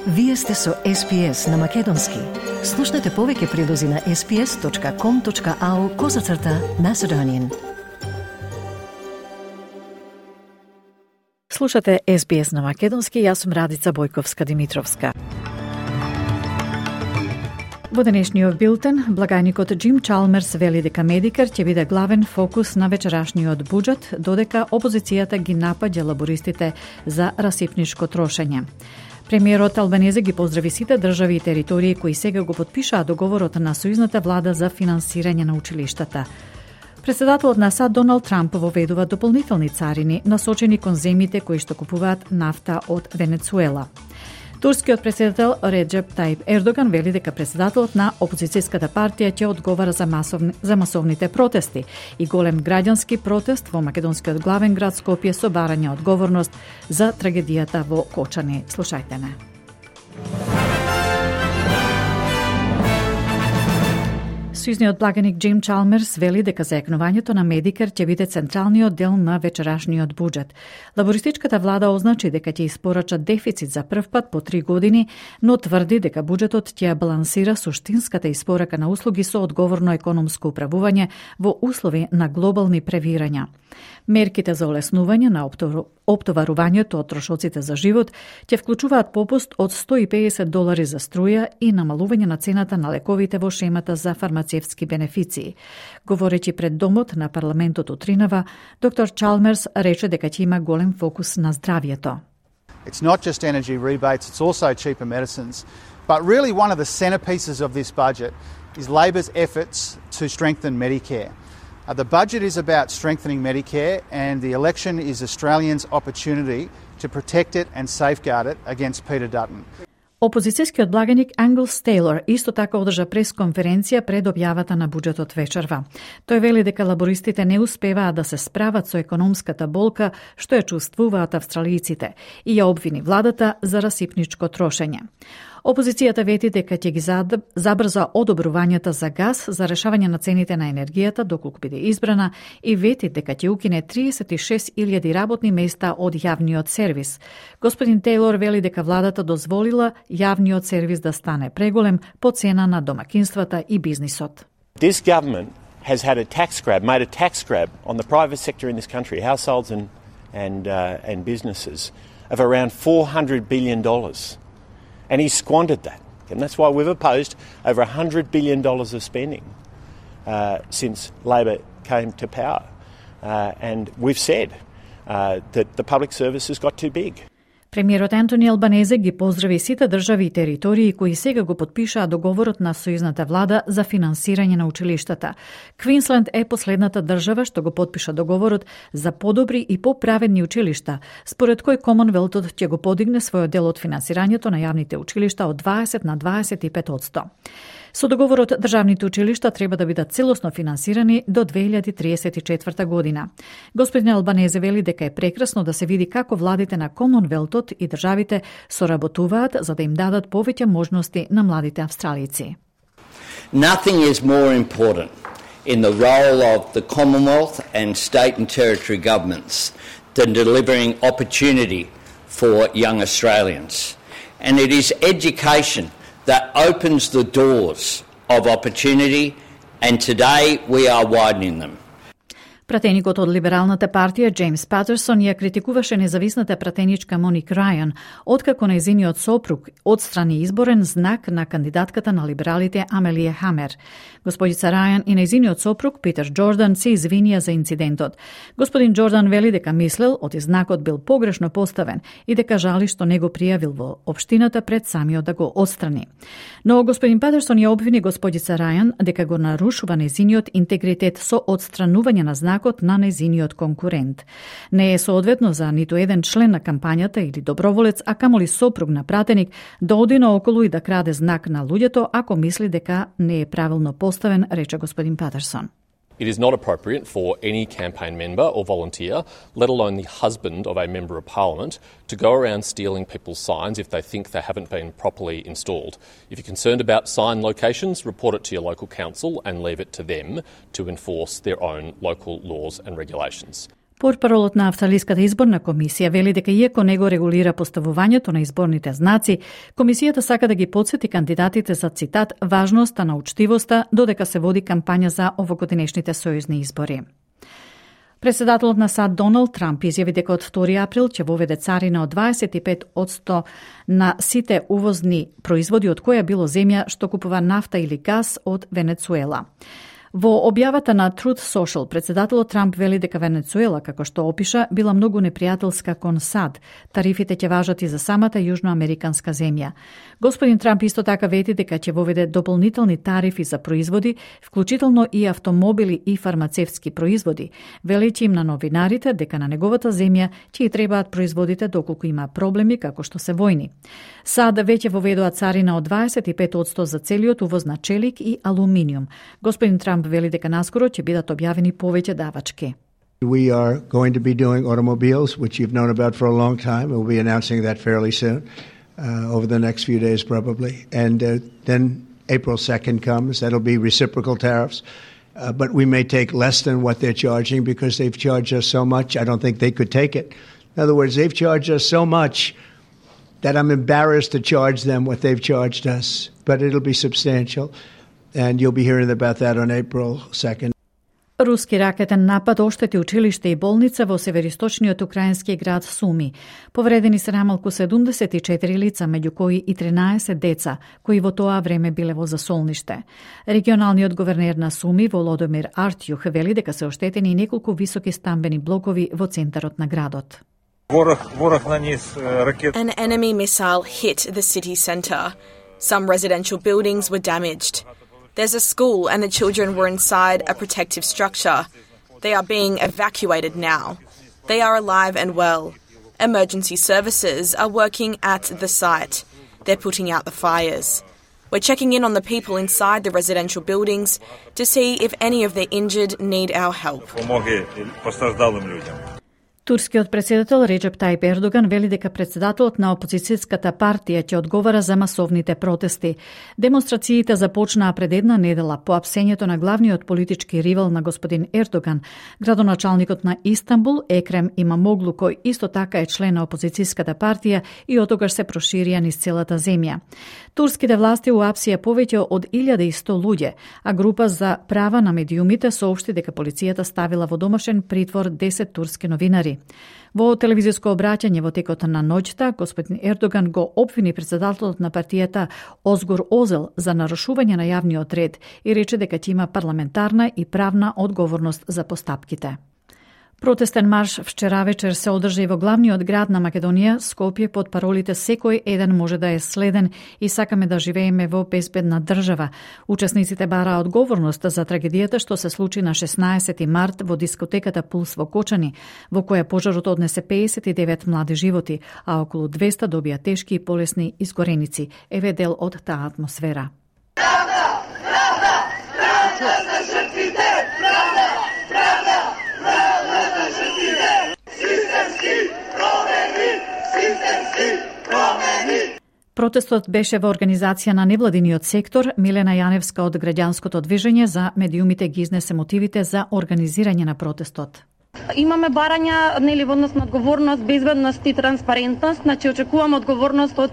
Вие сте со SPS на Македонски. Слушнете повеќе прилози на sps.com.au/Macedonian. Слушате SBS на Македонски, јас сум Радица Бојковска-Димитровска. Во денешниот билтен, благајникот Джим Чалмерс вели дека Медикер ќе биде главен фокус на вечерашниот буџет, додека опозицијата ги напаѓа лабористите за расипничко трошење. Премиерот Албанезе ги поздрави сите држави и територии кои сега го потпишаа договорот на сојузната влада за финансирање на училиштата. Председателот на САД Доналд Трамп воведува дополнителни царини насочени кон земјите кои што купуваат нафта од Венецуела. Турскиот председател Реджеп Таип Ердоган вели дека председателот на опозицијската партија ќе одговара за масовните протести и голем граѓански протест во македонскиот главен град Скопје со барање одговорност за трагедијата во Кочани. Слушајте не. Сојузниот благаник Джим Чалмерс вели дека зајакнувањето на Медикер ќе биде централниот дел на вечерашниот буџет. Лабористичката влада означи дека ќе испорача дефицит за прв пат по 3 години, но тврди дека буџетот ќе балансира суштинската испорака на услуги со одговорно економско управување во услови на глобални превирања. Мерките за олеснување на оптоварувањето од трошоците за живот ќе вклучуваат попуст од $150 за струја и намалување на цената на лековите во шемата за фармацевтски бенефиции. Говорејќи пред домот на парламентот утринава, доктор Чалмерс рече дека ќе има голем фокус на здравјето. It's not just energy rebates, it's also cheaper medicines. But really one of the centerpieces of this budget is Labor's efforts to strengthen Medicare. The budget is about strengthening Medicare, and the election is Australians' opportunity to protect it and safeguard it against Peter Dutton. Опозицијскиот благаник Англс Тейлор исто така одржа пресконференција пред објавата на буџетот вечерва. Тој вели дека лабористите не успеваат да се справат со економската болка што ја чувствуваат австралијците и ја обвини владата за расипничко трошење. Опозицијата вети дека ќе ги забрза одобрувањата за газ за решавање на цените на енергијата доколку биде избрана и вети дека ќе укине 36.000 работни места од јавниот сервис. Господин Тейлор вели дека владата дозволила јавниот сервис да стане преголем по цена на домакинствата и бизнисот. This government has had a tax grab, made a tax grab on the private sector in this country, households and businesses, of around $400 billion. And he squandered that. And that's why we've opposed over $100 billion of spending since Labor came to power. And we've said that the public service has got too big. Премиерот Антони Албанезе ги поздрави сите држави и територии кои сега го потпишаа договорот на сојузната влада за финансирање на училиштата. Квинсленд е последната држава што го потпиша договорот за подобри и поправедни училишта, според кој Комонвелтот ќе го подигне својот дел од финансирањето на јавните училишта од 20 на 25%. Со договорот, државните училишта треба да бидат целосно финансирани до 2034 година. Господин Албанезе вели дека е прекрасно да се види како владите на Комонвелтот и државите соработуваат за да им дадат повеќе можности на младите австралици. Nothing is more important in the role of the Commonwealth and state and territory governments than delivering opportunity for young Australians. And it is education that opens the doors of opportunity, and today we are widening them. Пратеникот од Либералната партија Джеймс Патерсон ја критикуваше независната пратеничка Моник Рајан, откако нејзиниот сопруг отстрани изборен знак на кандидатката на либералите Амелија Хамер. Господица Рајан и нејзиниот сопруг Питер Џордан се извинија за инцидентот. Господин Џордан вели дека мислел оти знакот бил погрешно поставен и дека жали што не го пријавил во општината пред самиот да го отстрани. Но господин Патерсон ја обвини господица Рајан дека го нарушува нејзиниот интегритет со отстранување на знакот на нејзиниот конкурент. Не е соодветно за ниту еден член на кампањата или доброволец, а камоли сопруг на пратеник да оди наоколу и да краде знак на луѓето ако мисли дека не е правилно поставен, рече господин Патерсон. It is not appropriate for any campaign member or volunteer, let alone the husband of a member of parliament, to go around stealing people's signs if they think they haven't been properly installed. If you're concerned about sign locations, report it to your local council and leave it to them to enforce their own local laws and regulations. Портпаролот на Австралиската изборна комисија вели дека иако не го регулира поставувањето на изборните знаци, комисијата сака да ги потсети кандидатите за, цитат, важноста на учтивоста додека се води кампања за овогодинешните сојузни избори. Председателот на САД Доналд Трамп изјави дека од 2 април ќе воведе царина од 25% на сите увозни производи од која било земја што купува нафта или газ од Венецуела. Во објавата на Truth Social, председателот Трамп вели дека Венецуела, како што опиша, била многу непријателска кон САД. Тарифите ќе важат и за самата јужноамериканска земја. Господин Трамп исто така вети дека ќе воведе дополнителни тарифи за производи, вклучително и автомобили и фармацевтски производи, велејќи им на новинарите дека на неговата земја ќе и требаат производите доколку има проблеми како што се војни. САД веќе воведоа царина од 25% за целиот увоз на челик и алуминиум. Господин Трамп вели дека наскоро ќе бидат објавени повеќе давачки. We are going to be doing automobiles, which you've known about for a long time. We'll be announcing that fairly soon, over the next few days probably. And then April 2nd comes. That'll be reciprocal tariffs. But we may take less than what they're charging because they've charged us so much. I don't think they could take it. In other words, they've charged us so much that I'm embarrassed to charge them what they've charged us. But it'll be substantial. And you'll be hearing about that on April 2nd. Руски ракетен напад оштети училиште и болница во североисточниот украински град Суми. Повредени се намалку 74 лица, меѓу кои и 13 деца, кои во тоа време биле во засолниште. Регионалниот гувернер на Суми, Володомир Артјух, вели дека се оштетени и неколку високи стамбени блокови во центарот на градот. An enemy missile hit the city centre. Some residential buildings were damaged. There's a school and the children were inside a protective structure. They are being evacuated now. They are alive and well. Emergency services are working at the site. They're putting out the fires. We're checking in on the people inside the residential buildings to see if any of the injured need our help. Турскиот председател Реджеп Тајип Ердоган вели дека председателот на опозицијската партија ќе одговара за масовните протести. Демонстрациите започнаа пред една недела по апсењето на главниот политички ривал на господин Ердоган, градоначалникот на Истанбул Екрем Имамоглу, кој исто така е член на опозицијската партија и отогаш се проширија низ целата земја. Турските власти уапсија повеќе од 1100 луѓе, а група за права на медиумите соопшти дека полицијата ставила во домашен притвор 10 турски новинари. Во телевизиско обраќање во текот на ноќта, господин Ердоган го обвини председателот на партијата Озгур Озел за нарушување на јавниот ред и рече дека ќе има парламентарна и правна одговорност за постапките. Протестен марш вчера вечер се одржа и во главниот град на Македонија, Скопје, под паролите "Секој еден може да е следен" и "Сакаме да живееме во безбедна држава". Учесниците бараа одговорност за трагедијата што се случи на 16 март во дискотеката Пулс во Кочани, во која пожарот однесе 59 млади животи, а околу 200 добија тешки и полесни изгореници. Еве дел од таа атмосфера. Протестот беше во организација на невладиниот сектор. Милена Јаневска од граѓанското движење за медиумите ги изнесе мотивите за организирање на протестот. Имаме барања во однос на одговорност, безбедност и транспарентност, значи очекуваме одговорност од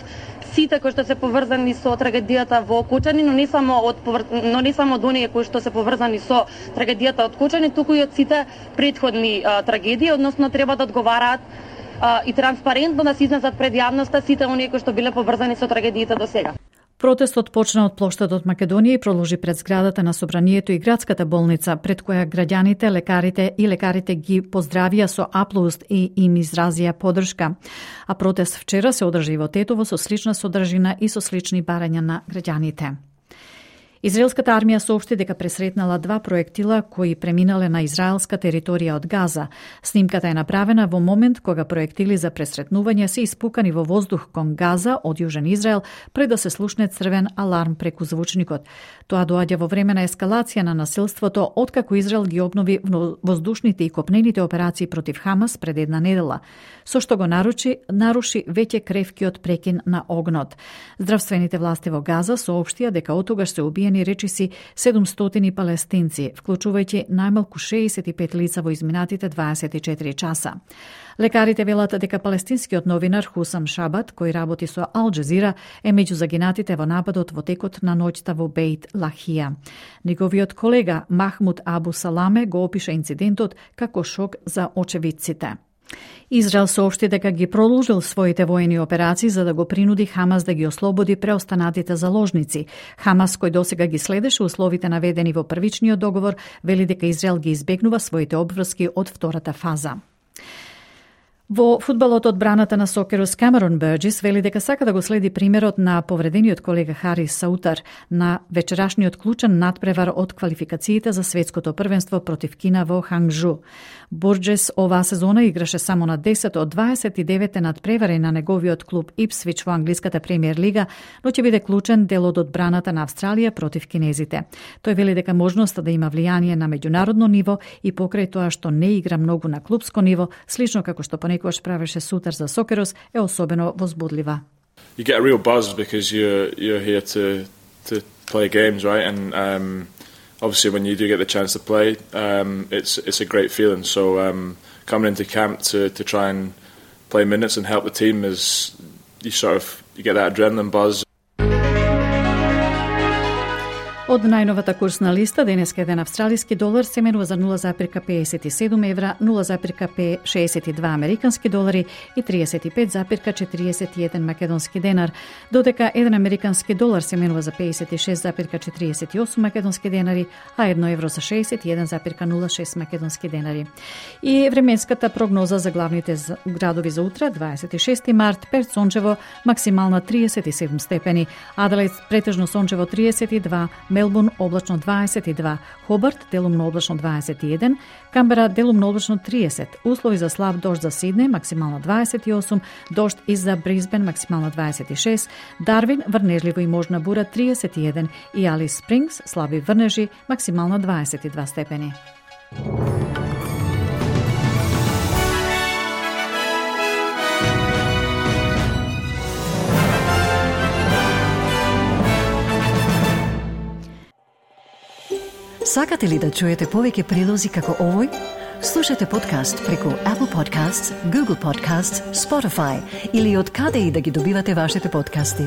сите кои што се поврзани со трагедијата во Кочани, но не само од оние кои што се поврзани со трагедијата од Кочани, туку и од сите претходни трагедии, односно треба да одговараат и транспарентно да се изнесат пред јавноста сите оние кои што биле поврзани со трагедиите до сега. Протестот почна од плоштадот Македонија и продолжи пред зградата на Собранието и градската болница, пред која граѓаните, лекарите ги поздравија со аплауз и им изразија поддршка. А протест вчера се одржи во Тетово со слична содржина и со слични барања на граѓаните. Израелската армија соопшти дека пресретнала 2 проектила кои преминале на израелска територија од Газа. Снимката е направена во момент кога проектили за пресретнување се испукани во воздух кон Газа од Јужен Израел пред да се слушне црвен аларм преку звучникот. Тоа доаѓа во време на ескалација на насилството откако Израел ги обнови воздушните и копнените операции против Хамас пред една недела, со што го наруши веќе кревкиот прекин на огнот. Здравствените власти во Газа соопштија дека отогаш се убиени убиени речиси 700 палестинци, вклучувајќи најмалку 65 лица во изминатите 24 часа. Лекарите велат дека палестинскиот новинар Хусам Шабат, кој работи со Ал Джазира, е меѓу загинатите во нападот во текот на ноќта во Бейт Лахија. Неговиот колега Махмуд Абу Саламе го опиша инцидентот како шок за очевидците. Израел соопшти дека ги продолжил своите воени операции за да го принуди Хамас да ги ослободи преостанатите заложници. Хамас, кој досега ги следеше условите наведени во првичниот договор, вели дека Израел ги избегнува своите обврски од втората фаза. Во фудбалот одбраната на Сокерус Камерон Бърджис вели дека сака да го следи примерот на повредениот колега Харис Саутар на вечерашниот клучен надпревар од квалификациите за светското првенство против Кина во Ханgjу. Бърджис оваа сезона играше само на 10 од 29 надпревари на неговиот клуб Ипсвич во англиската премиер лига, но ќе биде клучен дел од одбраната на Австралија против кинезите. Тој вели дека можноста да има влијание на меѓународно ниво и покрај тоа што не игра многу на клубско ниво, слично како што понекогаш правеше Сутар за Сокерус, е особено возбудлива. You get a real buzz because you're here to play games, right? And obviously when you do get the chance to play, it's a great feeling. So coming into camp to try and play minutes and help the team is you get that adrenaline buzz. Од најновата курсна листа, денеска еден австралиски долар се менува за 0,57 евра, 0,62 американски долари и 35,41 македонски денар, додека еден американски долар се менува за 56,48 македонски денари, а 1 евро за 61,06 македонски денари. И временската прогноза за главните градови за утре, 26 март, Перт сончево, максимална 37 степени, Аделаид претежно сончево 32, Мелбурн облачно 22, Хобарт делумно облачно 21, Камбера делумно облачно 30, услови за слаб дожд за Сиднеј, максимална 28, дожд и за Брисбен, максимална 26, Дарвин, врнежливо и можна бура 31 и Алис Спрингс, слаби врнежи, максимална 22 степени. Сакате ли да чуете повеќе прилози како овој? Слушате подкаст преку Apple Podcasts, Google Podcasts, Spotify или од каде и да ги добивате вашите подкасти.